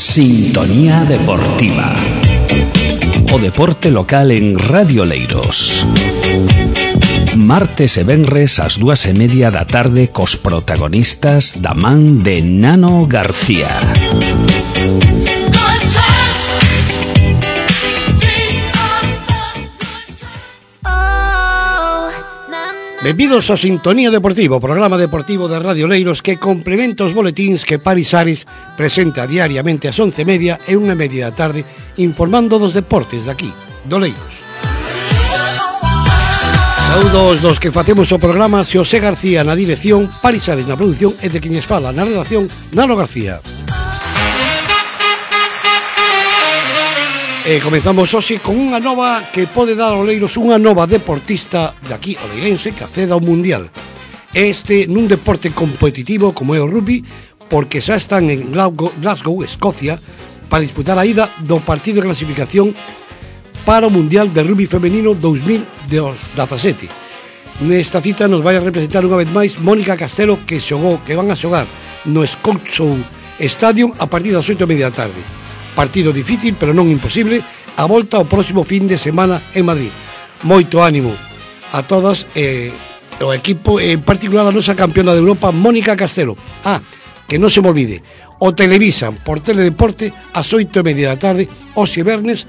Sintonía Deportiva. O deporte local en Radio Leiros. Martes e venres ás 2:30 da tarde cos protagonistas da man de Nano García. Benvidos a Sintonía Deportiva, programa deportivo de Radio Leiros que complementa os boletíns que Paris Ares presenta diariamente ás 11:30 e 1:30 da tarde informando dos deportes de aquí, do Leiros. Saúdos dos que facemos o programa, Xosé García na dirección, Paris Ares na produción e de queñes fala na redacción, Nano García. Comenzamos hoxe con unha nova que pode dar ao Leiros unha nova deportista de aquí, oleirense, que acceda ao Mundial. Este nun deporte competitivo como é o rugby, porque xa están en Glasgow, Escocia, para disputar a ida do partido de clasificación para o Mundial de Rugby Femenino 2017. Nesta cita nos vai a representar unha vez máis Mónica Castelo, que van a xogar no Scotshow Stadium a partir das 8:30 da tarde. Partido difícil, pero non imposible, a volta ao próximo fin de semana en Madrid. Moito ánimo a todas, o equipo, en particular a nosa campeona de Europa, Mónica Castelo. Que non se me olvide, o televisan por Teledeporte ás 8:30 da tarde, hoxe vernes,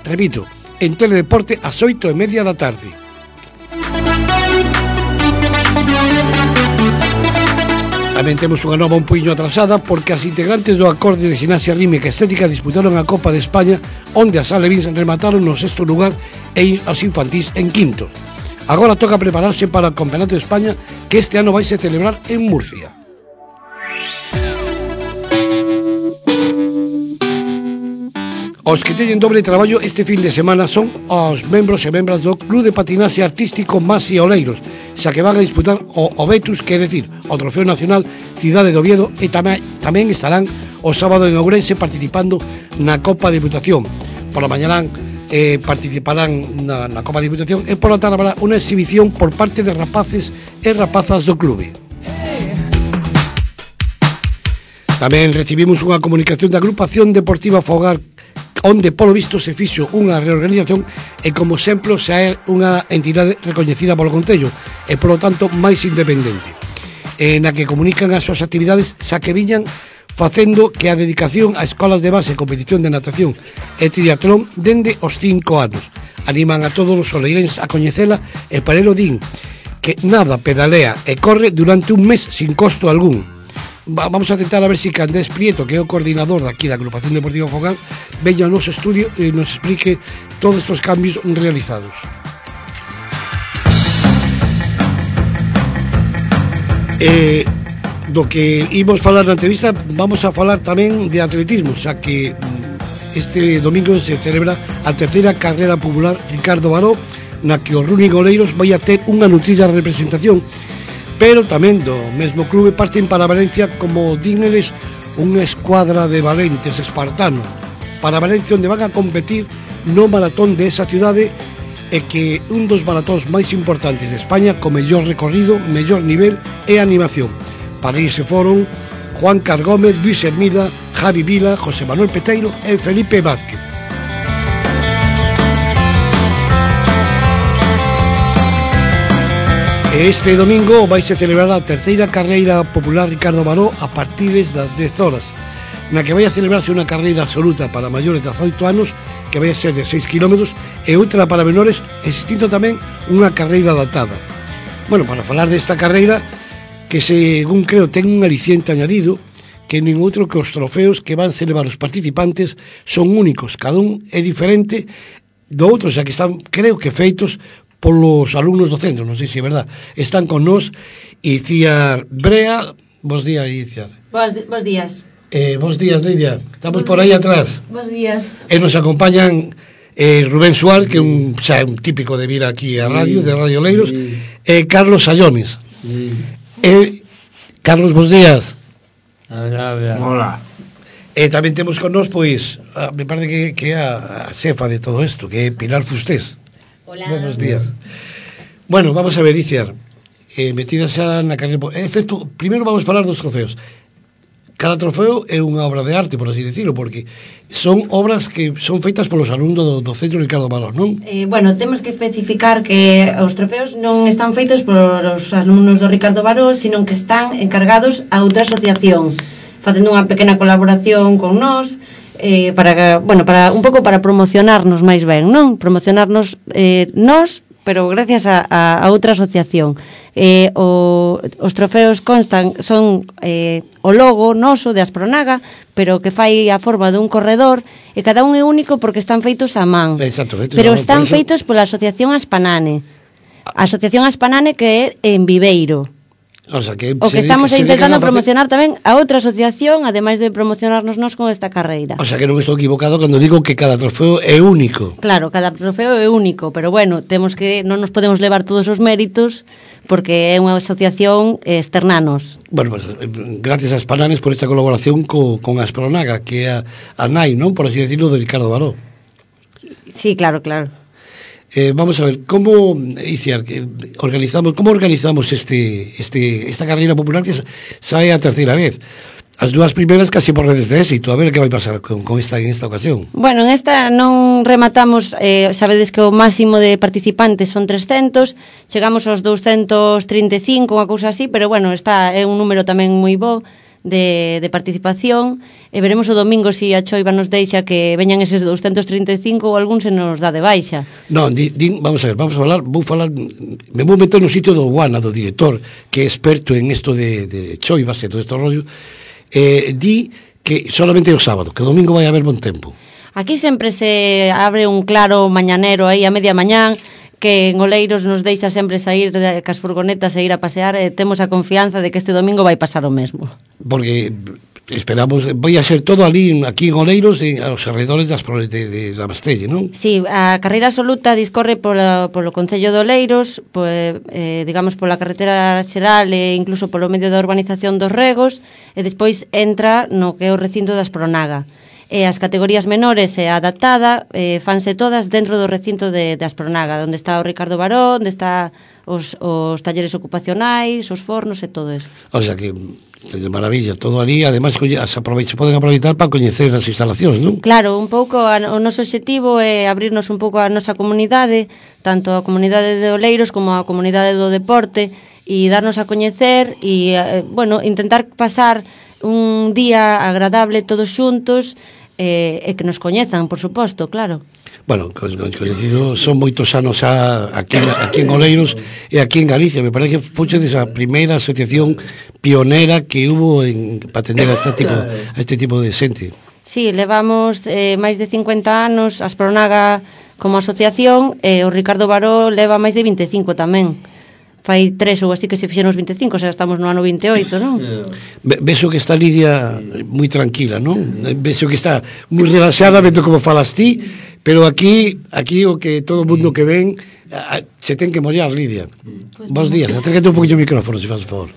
repito, en Teledeporte ás 8:30 da tarde. Tamén temos unha nova un puño atrasada porque as integrantes do acorde de Ximnasia Rítmica e Estética disputaron a Copa de España, onde as alevins remataron no 6º lugar e as infantís en 5º. Agora toca prepararse para o Campeonato de España, que este ano vai se celebrar en Murcia. Os que teñen dobre traballo este fin de semana son os membros e membras do Club de Patinaxe Artístico Masi Oleiros, xa que van a disputar o Betus, que é decir, o Trofeo Nacional Cidade de Oviedo, e tamén estarán o sábado en Ourense participando na Copa de Diputación. Por la mañana participarán na Copa de Diputación e por la tarde habrá unha exhibición por parte de rapaces e rapazas do clube. Tamén recibimos unha comunicación da Agrupación Deportiva Fogar, onde polo visto se fixo unha reorganización e como exemplo xa é unha entidade recoñecida polo Concello e polo tanto máis independente, na que comunican as súas actividades xa que viñan facendo que a dedicación a escolas de base, competición de natación e triatlón dende os 5 anos. Animan a todos os oleirenses a coñecela e para elo din que nada, pedalea e corre durante un mes sin costo algún. Vamos a tentar a ver si Candés Prieto, que é o coordinador daqui da Agrupación Deportiva Fogar, veña ao noso estudio e nos explique todos estes cambios realizados. Do que imos falar na entrevista, vamos a falar tamén de atletismo, xa que este domingo se celebra a terceira carreira popular Ricardo Baró, na que o Running Oleiros vai a ter unha nutrida representación, pero tamén do mesmo clube parten para Valencia, como díneles, unha escuadra de valentes espartanos para Valencia, onde van a competir no maratón de esa cidade, e que un dos maratóns máis importantes de España, co mellor recorrido, mellor nivel e animación. Para iso foron Juan Cargómez, Luis Hermida, Javi Vila, José Manuel Peteiro e Felipe Vázquez. Este domingo vaise celebrar a terceira carreira popular Ricardo Baró a partir das 10 horas, na que vai a celebrarse unha carreira absoluta para maiores de 18 anos, que vai a ser de 6 km, e outra para menores, existindo tamén unha carreira adaptada. Bueno, para falar desta carreira, que según creo ten un aliciente añadido, que nin outro que os trofeos que van celebrar os participantes son únicos, cada un é diferente do outro, xa que están, creo que feitos polos alumnos do centro, non sei se é verdad. Están con nós Iciar Brea. Bos días, Iciar. Bos días. Bos días, Lidia. Estamos por aí atrás. Bos días. E nos acompañan Rubén Suárez, que é un típico de vir aquí a radio, de Radio Leiros, e Carlos Sallones. Carlos, bos días. Hola. E tamén temos con nós, pois, me parece que é a xefa de todo isto, que é Pilar Fustés. Hola. Buenos días. Bueno, vamos a ver, Iciar, metidas xa na carreira. Primeiro vamos falar dos trofeos. cada trofeo é unha obra de arte, por así decirlo, porque son obras que son feitas polos alumnos do Centro Ricardo Baró, non? Bueno, temos que especificar que os trofeos non están feitos polos alumnos do Ricardo Baró, sino que están encargados a outra asociación, facendo unha pequena colaboración con nós, para un pouco para promocionarnos máis ben, non? Promocionarnos nós, pero gracias a outra asociación. Os trofeos son o logo noso de Aspronaga, pero que fai a forma dun corredor, e cada un é único porque están feitos a man. Exacto, pero están feitos pola Asociación Aspanane. A Asociación Aspanane que é en Viveiro. O sea, que estamos intentando promocionar tamén a outra asociación, ademais de promocionarnos nós con esta carreira. O sea, que non estou equivocado cando digo que cada trofeo é único. Claro, cada trofeo é único, pero bueno, non nos podemos levar todos os méritos porque é unha asociación externanos. Bueno, pues, gracias a Spananes por esta colaboración con Aspronaga, que é a nai, non? Por así decirlo, de Ricardo Baró. Sí, claro. Vamos a ver, como organizamos esta carreira popular que sae a terceira vez? As dúas primeiras casi por redes de éxito. A ver que vai pasar con esta ocasión. Bueno, en esta non rematamos, sabedes que o máximo de participantes son 300, chegamos aos 235, unha cousa así, pero bueno, é un número tamén moi bo de participación, e veremos o domingo se a choiva nos deixa que veñan eses 235 ou algún se nos dá de baixa. Non, vamos a falar, me vou meter no sitio do Guana, do director, que é experto en isto de choivas e todo este rollo. Di que solamente o sábado, que o domingo vai haber bon tempo. Aquí sempre se abre un claro mañanero aí a media mañán, que en Oleiros nos deixa sempre sair cas furgonetas e ir a pasear, e temos a confianza de que este domingo vai pasar o mesmo. Porque esperamos, vai a ser todo aquí en Oleiros, aos alrededores de la Mastelle, non? Sí, a carreira absoluta discorre polo Concello de Oleiros, digamos pola carretera xeral e incluso polo medio da urbanización dos Regos, e despois entra no que é o recinto da Aspronaga. E as categorías menores e a adaptada fanse todas dentro do recinto de Aspronaga, onde está o Ricardo Baró, onde está os talleres ocupacionais, os fornos e todo eso. O sea que de maravilla, todo ali, ademais se poden aproveitar para coñecer as instalacións, non? Claro, un pouco o noso obxectivo é abrirnos un pouco a nosa comunidade, tanto a comunidade de Oleiros como a comunidade do deporte, e darnos a coñecer e, intentar pasar un día agradable todos xuntos, e que nos coñezan, por suposto, claro. Bueno, coñecido, son moitos anos aquí en Oleiros e aquí en Galicia. Me parece que foche desa primeira asociación pionera que hubo para atender a este tipo de xente. Sí, levamos máis de 50 anos Aspronaga como asociación, e o Ricardo Baró leva máis de 25 tamén. Fai 3 ou así que se fixeron os 25, xa estamos no ano 28, non? Vexo que está Lidia moi tranquila, non? Vexo que está moi relaxada, vendo como falas ti, pero aquí o que todo o mundo que ven se ten que mollar, Lidia. Bos días, acércate un poquinho o micrófono, se faz favor.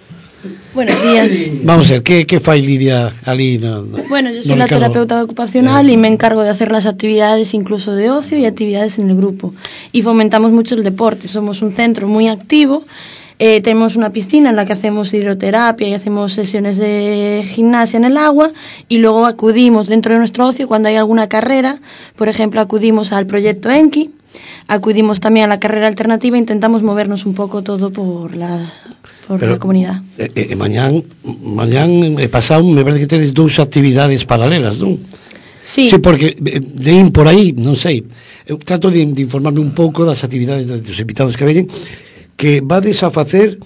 Buenos días. Vamos a ver, ¿qué fai Lidia ali? Bueno, yo soy la terapeuta ocupacional y me encargo de hacer las actividades incluso de ocio y actividades en el grupo. Y fomentamos mucho el deporte, somos un centro muy activo, tenemos una piscina en la que hacemos hidroterapia y hacemos sesiones de gimnasia en el agua, y luego acudimos dentro de nuestro ocio cuando hay alguna carrera. Por ejemplo, acudimos al proyecto Enki, acudimos también a la carrera alternativa, intentamos movernos un poco todo por la comunidad. Mañán e pasado me parece que tedes dous actividades paralelas, non? Sí, porque leín por aí, non sei, eu trato de informarme un pouco das actividades dos invitados que veñen, que vades a facer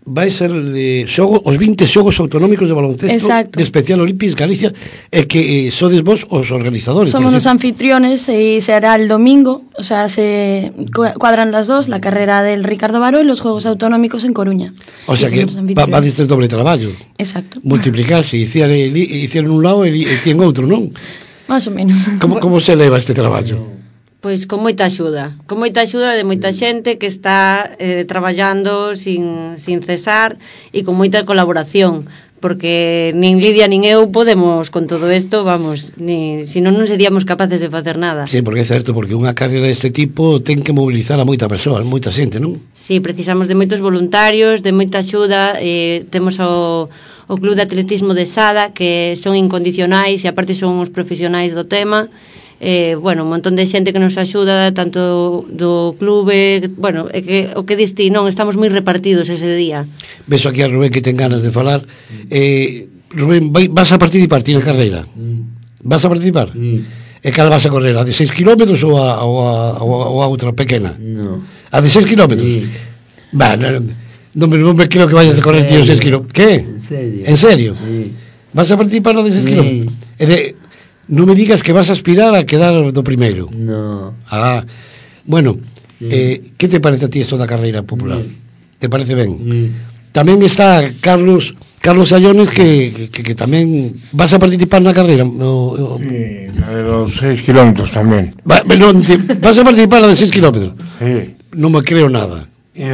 vai ser os 20 xogos autonómicos de baloncesto. Exacto. De Especial Olímpics Galicia, e que sodes vos os organizadores. Somos os anfitriones e se hará el domingo, o sea, se cuadran las dos, la carrera del Ricardo Baró y los Juegos Autonómicos en Coruña. O sea que va desde el doble traballo. Exacto. Multiplicarse, hicieron un lado e tienen outro, non? Más o menos. Como se leva este traballo? Pois con moita axuda de moita xente que está traballando sin cesar e con moita colaboración, porque nin Lidia nin eu podemos con todo isto, vamos, senón non seríamos capaces de facer nada. Sí, porque é certo, porque unha carreira deste tipo ten que mobilizar a moita persoa, moita xente, non? Sí, precisamos de moitos voluntarios, de moita axuda, temos o o Club de Atletismo de Sada, que son incondicionais e aparte son os profesionais do tema. Bueno, un montón de xente que nos axuda, tanto do clube, bueno, o que diste, non, estamos moi repartidos ese día. Beso aquí a Rubén que ten ganas de falar. Rubén, vas a participar ti na carreira? Vas a participar? E cada vas a correr? A de 6 km ou a outra pequena? No. A de 6 km? Va, non me creo que vayas a correr ti os 6 km. Que? En serio. En serio? Sí. Vas a participar na de 6 km? Non me digas que vas a aspirar a quedar do primeiro. No. Bueno, que te parece a ti isto da carreira popular? Te parece ben? Tamén está Carlos Allones que tamén vas a participar na carreira. Sí, la de los 6 kilómetros tamén. Vas a participar na de 6 kilómetros? Sí. Non me creo nada. Y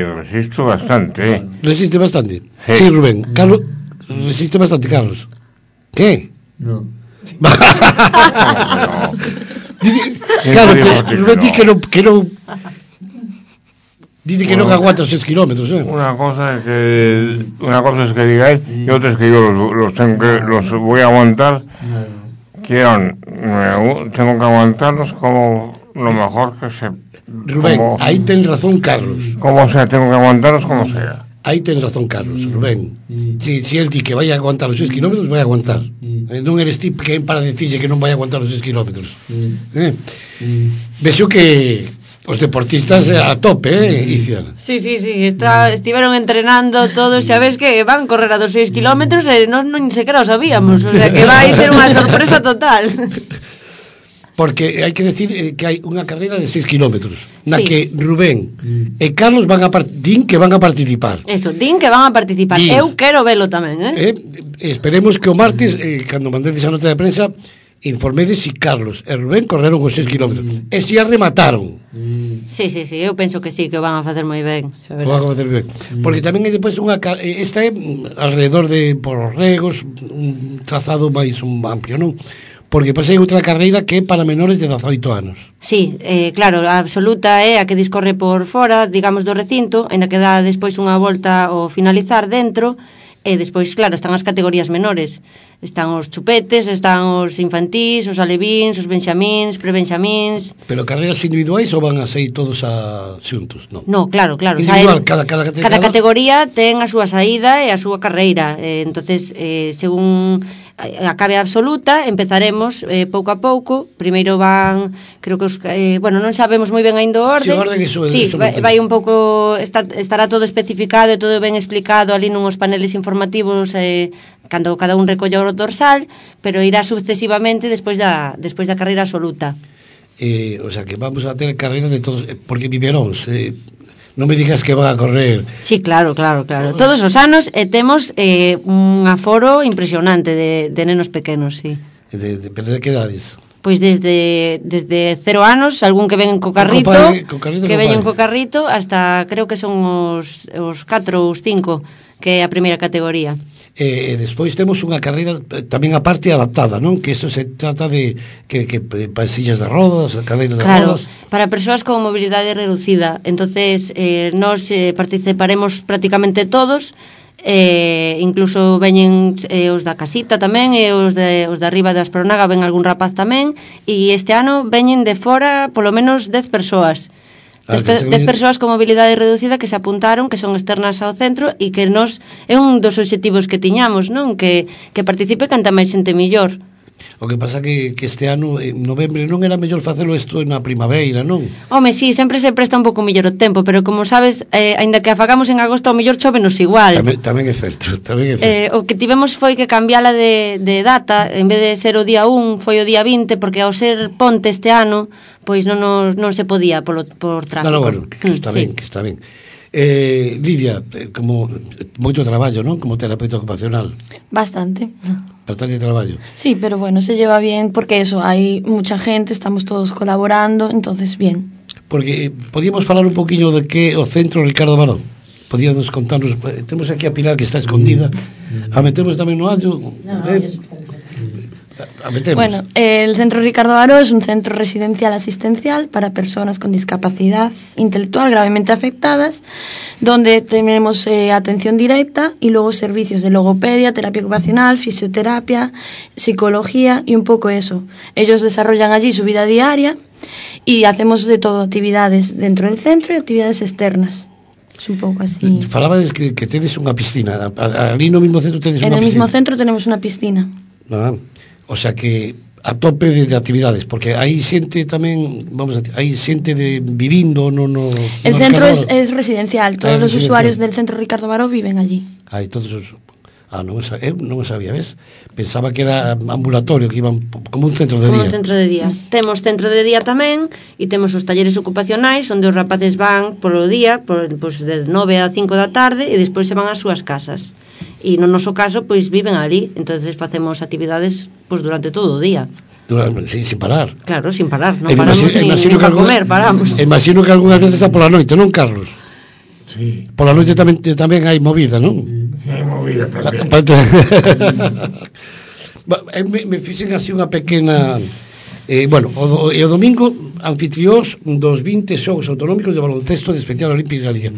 resisto bastante. Resiste bastante? Sí. Sí, Rubén. Carlos, resiste bastante, Carlos. ¿Qué? No. Claro, Rubén di que non dice que non aguanta 6 kilómetros, Una cosa es que digáis y otra es que yo los voy a aguantar. Tengo que aguantarlos como lo mejor que se... Rubén, ahí ten razón Carlos. Como sea, tengo que aguantarlos como sea. Aí ten razón Carlos, Rubén. Si el di que vai a aguantar os 6 kilómetros, vai a aguantar. Non eres ti que para decirle que non vai a aguantar os 6 kilómetros. Vexo que os deportistas a tope, Iciar. Sí, estiveron entrenando todos, xa ves que van correr a dos 6 kilómetros e non sequera o sabíamos, o sea que vai ser unha sorpresa total. Porque hai que decir que hai unha carreira de 6 kilómetros na Sí. que Rubén e Carlos din que van a participar. Eso, din que van a participar. Din. Eu quero velo tamén, Esperemos que o martes, cando mandedes a nota de prensa, informedes si Carlos e Rubén correron os 6 kilómetros e si a remataron. Sí, eu penso que sí, que o van a facer moi ben, xa verás. Van a facer ben. Porque tamén hai depois esta é alrededor de por os regos, un trazado máis amplio, non? Porque pasei outra carreira que é para menores de 18 anos. Sí, claro, a absoluta é a que discorre por fora, digamos, do recinto, ainda que dá despois unha volta ao finalizar dentro, e despois, claro, están as categorías menores. Están os chupetes, están os infantís, os alevíns, os benxamíns, prebenxamíns... Pero carreiras individuais ou van a ser todos xuntos? No, claro. Individual, cada categoría ten a súa saída e a súa carreira. Entonces, según acabe a absoluta, empezaremos pouco a pouco. Primeiro van, creo que non sabemos moi ben ainda o orden. Sí, vai un pouco, estará todo especificado e todo ben explicado ali nuns paneles informativos cando cada un recolla o dorsal, pero irá sucesivamente despois da carreira absoluta. O sea, que vamos a ter carreira de todos, porque viveróns, non me digas que van a correr. Sí, claro. Todos os anos temos un aforo impresionante de nenos pequenos, sí. Pero de que edades? Pois desde 0 anos, algún que ven co carrito, que veñen co carrito, hasta creo que son os 4 ou os 5, que é a primeira categoría. E despois temos unha carreira tamén a parte adaptada, non? Que iso se trata de que para sillas de rodas, cadeiras de rodas. Para persoas con mobilidade reducida. Entonces, nós participaremos prácticamente todos, incluso veñen os da casita tamén, e os de arriba da Aspronaga ven algún rapaz tamén, e este ano veñen de fora polo menos 10 persoas. 10 persoas con mobilidade reducida que se apuntaron, que son externas ao centro, e que nos é un dos obxectivos que tiñamos, non? Que participe canta máis xente millor. O que pasa que este ano, en novembro, non era mellor facelo isto na primavera, non? Home, sí, sempre se presta un pouco mellor o tempo, pero como sabes, aínda que a fagamos en agosto, ao mellor chovenos igual. Tamén é certo. O que tivemos foi que cambiala de data, en vez de ser o día 1, foi o día 20, porque ao ser ponte este ano, pois non se podía por tráfico. Bueno, que está ben. Lidia, como moito traballo, non? Como terapeuta ocupacional. Bastante traballo. Sí, pero bueno, se lleva bien porque eso, hay mucha gente, estamos todos colaborando, entonces bien. Porque podíamos falar un poquinho de que o centro Ricardo Baró. Podíamos contarnos, temos aquí a Pilar que está escondida. A metemos tamén no allo. Bueno, el Centro Ricardo Baró es un centro residencial asistencial para personas con discapacidad intelectual gravemente afectadas, donde tenemos atención directa y luego servicios de logopedia, terapia ocupacional, fisioterapia, psicología y un poco eso. Ellos desarrollan allí su vida diaria y hacemos de todo, actividades dentro del centro y actividades externas. Es un pouco así. Falabades que tedes unha piscina. Ali no mismo centro tedes unha piscina. En el mismo centro tenemos unha piscina. O sea que a tope de actividades, porque hai xente tamén, hai xente vivindo no El centro es residencial, todos los usuarios del Centro Ricardo Baró viven allí. Todos os... non o sabía, ves? Pensaba que era ambulatorio, que iban como un centro de día. Como un centro de día. Temos centro de día tamén e temos os talleres ocupacionais onde os rapaces van polo día, pois de 9 a 5 da tarde e despois se van ás súas casas. E no noso caso, pois viven ali, entonces facemos actividades pois durante todo o día. Sin parar. Claro, sin parar, non paramos ni para comer, paramos. Imagino que algunhas veces a pola noite, non, Carlos? Sí. Pola noite tamén hai movida, non? Sí, hai movida tamén. Me fixen así unha pequena... o domingo anfitriós dos 20 xogos autonómicos de baloncesto de Especial Olímpica Galicia,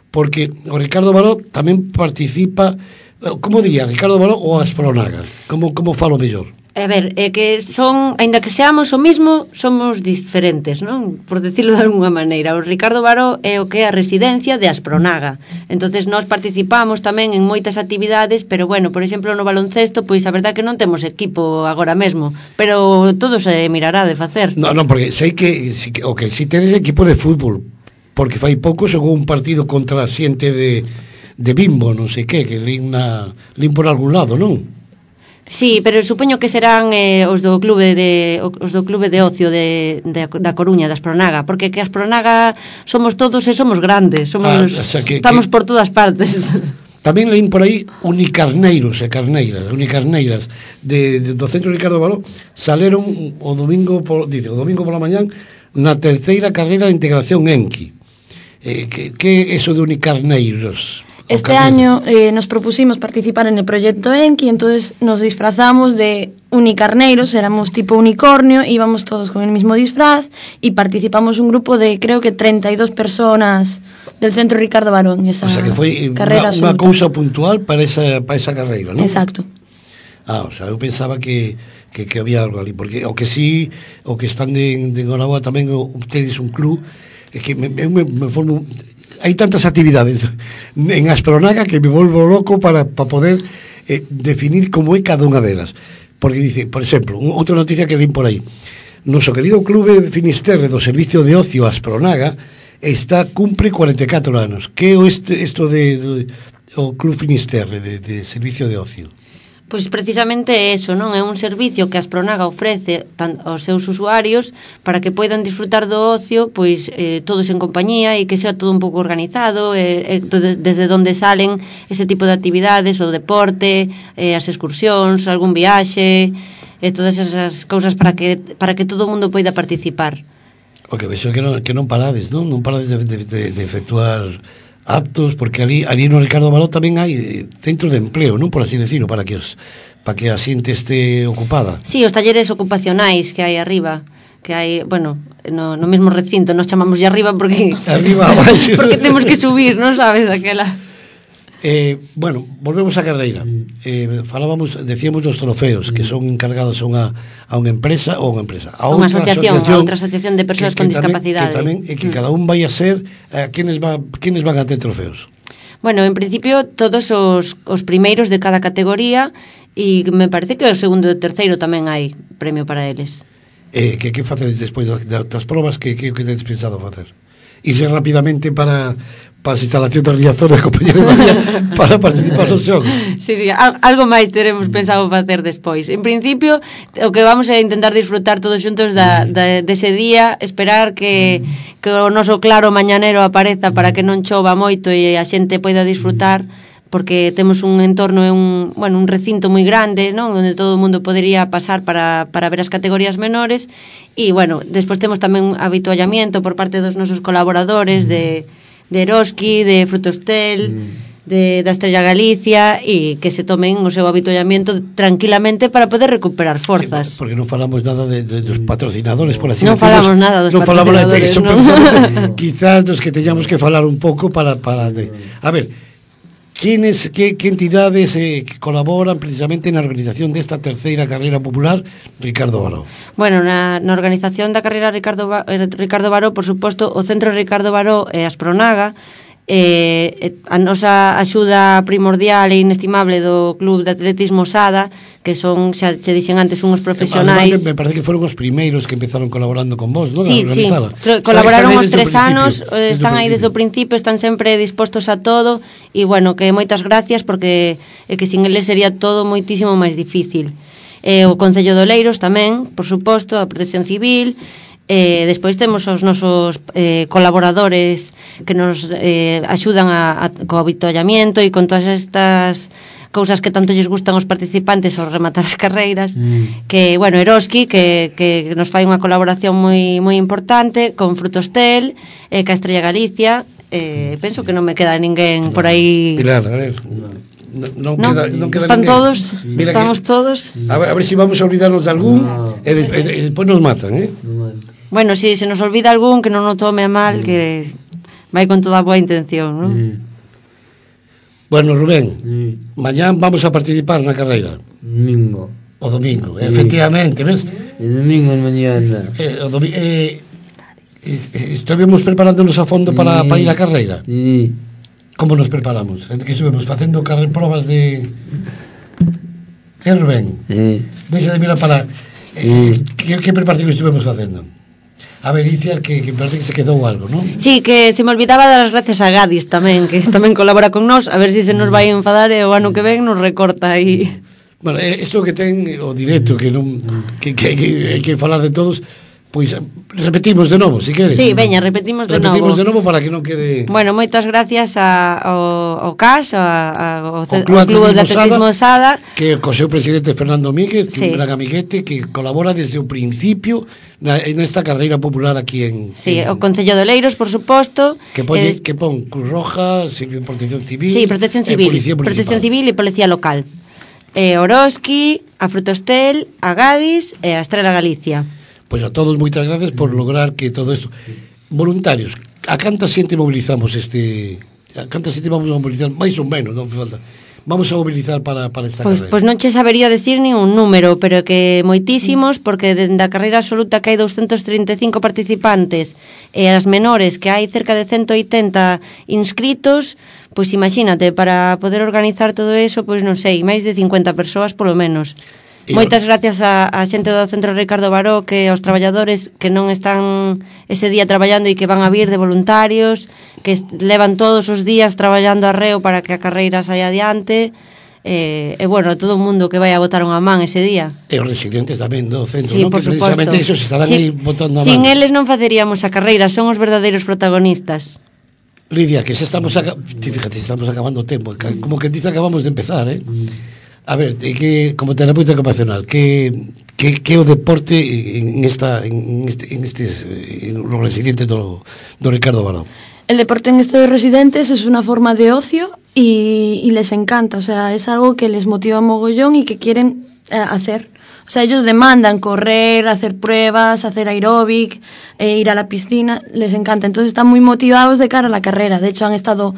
porque o Ricardo Baró tamén participa, como diría, Ricardo Baró ou Aspronaga, como falo mellor? A ver, é que son, aínda que seamos o mismo, somos diferentes, non? Por decirlo de alguna maneira. O Ricardo Baró é o que é a residencia de Aspronaga. Entonces nós participamos tamén en moitas actividades, pero bueno, por exemplo, no baloncesto, pois a verdade que non temos equipo agora mesmo, pero todo se mirará de facer. Non, porque sei que si tedes equipo de fútbol, porque fai pouco xogou un partido contra a xente de Bimbo, non sei que lin por algún lado, non? Sí, pero supoño que serán os do clube de ocio da Coruña, da Aspronaga, porque que Aspronaga somos todos e somos grandes, estamos por todas partes. Tamén leín por aí unicarneiros e carneiras do Centro Ricardo Baró saleron o domingo pola mañán na terceira carreira de integración ENQI. Que é eso de unicarneiros? Este año nos propusimos participar en el proyecto ENQI, entonces nos disfrazamos de unicarneiros, éramos tipo unicornio, íbamos todos con el mismo disfraz y participamos un grupo de creo que 32 personas del Centro Ricardo Baró en esa carreira. O sea que foi unha cousa puntual para esa carreira, non? Exacto. O sea, eu pensaba que había algo ali, porque o que están de Enhoraboa tamén tedes un club, é que me formo... Hai tantas actividades en Aspronaga que me volvo loco para poder definir como é cada unha delas. Porque dice, por exemplo, outra noticia que leí por aí, noso querido clube Finisterre do Servicio de Ocio Aspronaga cumpre 44 anos. Que é isto o Club Finisterre de Servicio de Ocio? Pois precisamente eso, non? É un servicio que Aspronaga ofrece aos seus usuarios para que poidan disfrutar do ocio, pois todos en compañía e que sea todo un pouco organizado, desde onde salen ese tipo de actividades, o deporte, as excursións, algún viaxe, todas esas cousas para que todo o mundo poida participar. Porque vexo que non parades, non? Non parades de efectuar actos, porque ali no Ricardo Baró tamén hai centros de empleo, non por así decirlo, para que a xente este ocupada. Sí, os talleres ocupacionais que hai arriba, que hai, bueno, no mesmo recinto, nos chamamos de arriba porque arriba abaixo. Porque temos que subir, non sabes, daquela. Bueno, volvemos á carreira. Decíamos dos trofeos que son encargados a unha empresa ou a outra asociación de persoas con discapacidade. Que cada un vai a ser quenes van a ter trofeos. Bueno, en principio todos os primeiros de cada categoría e me parece que o segundo e o terceiro tamén hai premio para eles. Que facedes despois das probas que tedes pensado facer? Irse rapidamente para as instalacións de Riazor de Compañía de María para participar no xogo. Sí, algo máis teremos pensado facer despois. En principio, o que vamos a intentar disfrutar todos xuntos dese día, esperar que o noso claro mañanero apareza para que non chova moito e a xente poida disfrutar, porque temos un entorno, un recinto moi grande, non? Onde todo o mundo podería pasar para ver as categorías menores e, bueno, despois temos tamén habituallamiento por parte dos nosos colaboradores de Eroski, de Frutostel, da Estrella Galicia e que se tomen o seu avituallamento tranquilamente para poder recuperar forzas. Sí, porque non falamos nada dos patrocinadores, por así non falamos nada dos patrocinadores, non. Quizás dos que teñamos que falar un pouco para a ver, ¿qué entidades que colaboran precisamente na organización desta terceira carreira popular Ricardo Baró? Bueno, na organización da carreira Ricardo Baró, por suposto, o Centro Ricardo Baró e Aspronaga, a nosa axuda primordial e inestimable do Club de Atletismo Sada, que son, xa se dixen antes, unhos profesionais. Además, me parece que foron os primeiros que empezaron colaborando con vos, ¿no? Sí, colaboraron os 3 anos, están aí desde o principio, están sempre dispostos a todo, e bueno, que moitas gracias, porque que sin eles sería todo moitísimo máis difícil. O Concello de Oleiros tamén, por suposto, a Protección Civil. Despois temos os nosos colaboradores que nos axudan co avituallamento e con todas estas cousas que tanto lles gustan aos participantes ao rematar as carreiras, que, bueno, Eroski, que nos fai unha colaboración moi importante con Frutostel, ca Estrella Galicia. Penso que non me queda ninguén por aí. Pilar, a ver, non queda están ninguén. Todos, mira, estamos todos. A ver se vamos a olvidarnos de algún e despois nos matan, Bueno, si se nos olvida algún, que non o tome a mal, que vai con toda a boa intención, non? Bueno, Rubén, mañán vamos a participar na carreira. Domingo. O domingo, efectivamente, ves? El domingo en mañana. Estuvimos preparándonos a fondo para ir a carreira. Sí. Como nos preparamos? Que estuvemos facendo probas de... Rubén? Deixa de mirar para... Que preparación estuvemos facendo? A ver, Iciar, que parece que se quedou algo, non? Sí, que se me olvidaba dar as gracias a Gadis tamén, que tamén colabora con nós, a ver se nos vai enfadar e o ano que ven nos recorta aí. Bueno, isto que ten o directo, que non que hai que falar de todos, pois repetimos de novo, se queres. Sí, veña, repetimos de novo para que non quede... Bueno, moitas gracias ao CAS, ao Club de Atletismo Sada, que co seu presidente Fernando Míguez, que un gran amiguete que colabora desde o principio nesta carreira popular aquí en... Sí, o Concello de Oleiros, por suposto. Que pon Cruz Roja, Protección Civil... Sí, Protección Civil e Policía Local. Oroski, a Frutostel, a Gadis e a Estrella Galicia. Pois a todos moitas gracias por lograr que todo isto. Voluntarios, a canta xente mobilizamos a canta xente vamos a mobilizar, máis ou menos, non falta. Vamos a mobilizar para esta carreira. Pois non che sabería decir ni un número, pero que moitísimos, porque dende a carreira absoluta que hai 235 participantes e as menores que hai cerca de 180 inscritos, pois imagínate, para poder organizar todo eso, pois non sei, máis de 50 persoas polo menos. Moitas gracias a xente do Centro Ricardo Baró, que aos traballadores que non están ese día traballando e que van a vir de voluntarios, que levan todos os días traballando arreo para que a carreira saia adiante, e bueno, todo o mundo que vai a botar unha man ese día. E os residentes tamén do centro, sí, non? Que precisamente esos estarán aí botando a man. Sin eles non faceríamos a carreira, son os verdadeiros protagonistas. Lidia, que se estamos fíjate, estamos acabando o tempo, como que dice acabamos de empezar, A ver, que como terapeuta ocupacional, que o deporte en los residentes do Ricardo Baró? El deporte en estos residentes es una forma de ocio y les encanta, o sea, es algo que les motiva mogollón y que quieren hacer. O sea, ellos demandan correr, hacer pruebas, hacer aeróbic, ir a la piscina, les encanta. Entonces están muy motivados de cara a la carrera. De hecho, han estado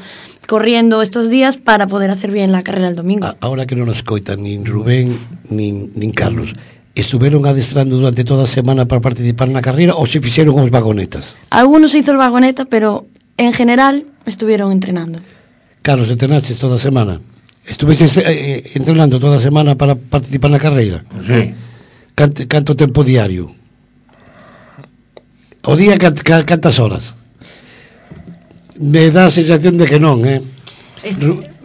corriendo estos días para poder hacer bien la carrera el domingo. Ahora que non nos coitan nin Rubén nin Carlos, estuveron adestrando durante toda a semana para participar na carreira ou se fixeron os vagonetas? Algunos se hizo el vagoneta, pero en general estuvieron entrenando. Carlos, entrenaste toda a semana? Estuviste entrenando toda a semana para participar na carreira? Sí. Canto tempo diario? O día cantas horas? Me dá a sensación de que non,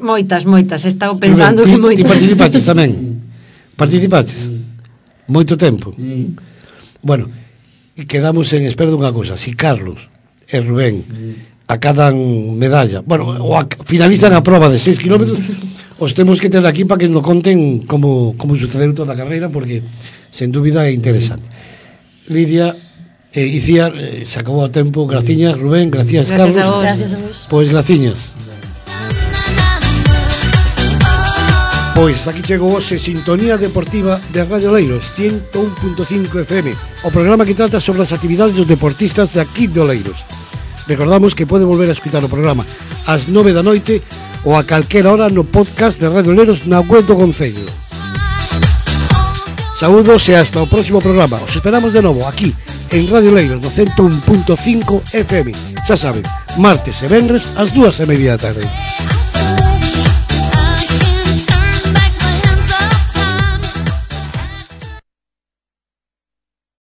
Moitas, estaba pensando que moitas. Ti participaches tamén? Participaches? Moito tempo? Bueno, quedamos en espera dunha cousa. Si Carlos e Rubén acadan medalla, bueno, finalizan a prova de 6 kilómetros, os temos que ter aquí para que nos conten como sucedeu toda a carreira, porque sen dúbida é interesante. Lidia, Iciar, se acabou o tempo. Graciñas, Rubén, gracias, Carlos. Gracias a vos. Pois graciñas. Pois aquí chegou hoxe Sintonía Deportiva de Radio Oleiros 101.5 FM, o programa que trata sobre as actividades dos deportistas de aquí de Oleiros. Recordamos que pode volver a escutar o programa ás 9 da noite ou a calquera hora no podcast de Radio Oleiros na web do Concello. Saúdos e hasta o próximo programa. Os esperamos de novo aquí en Radio Oleiros no 101.5 FM. Xa saben, martes e venres ás 2:30 da tarde.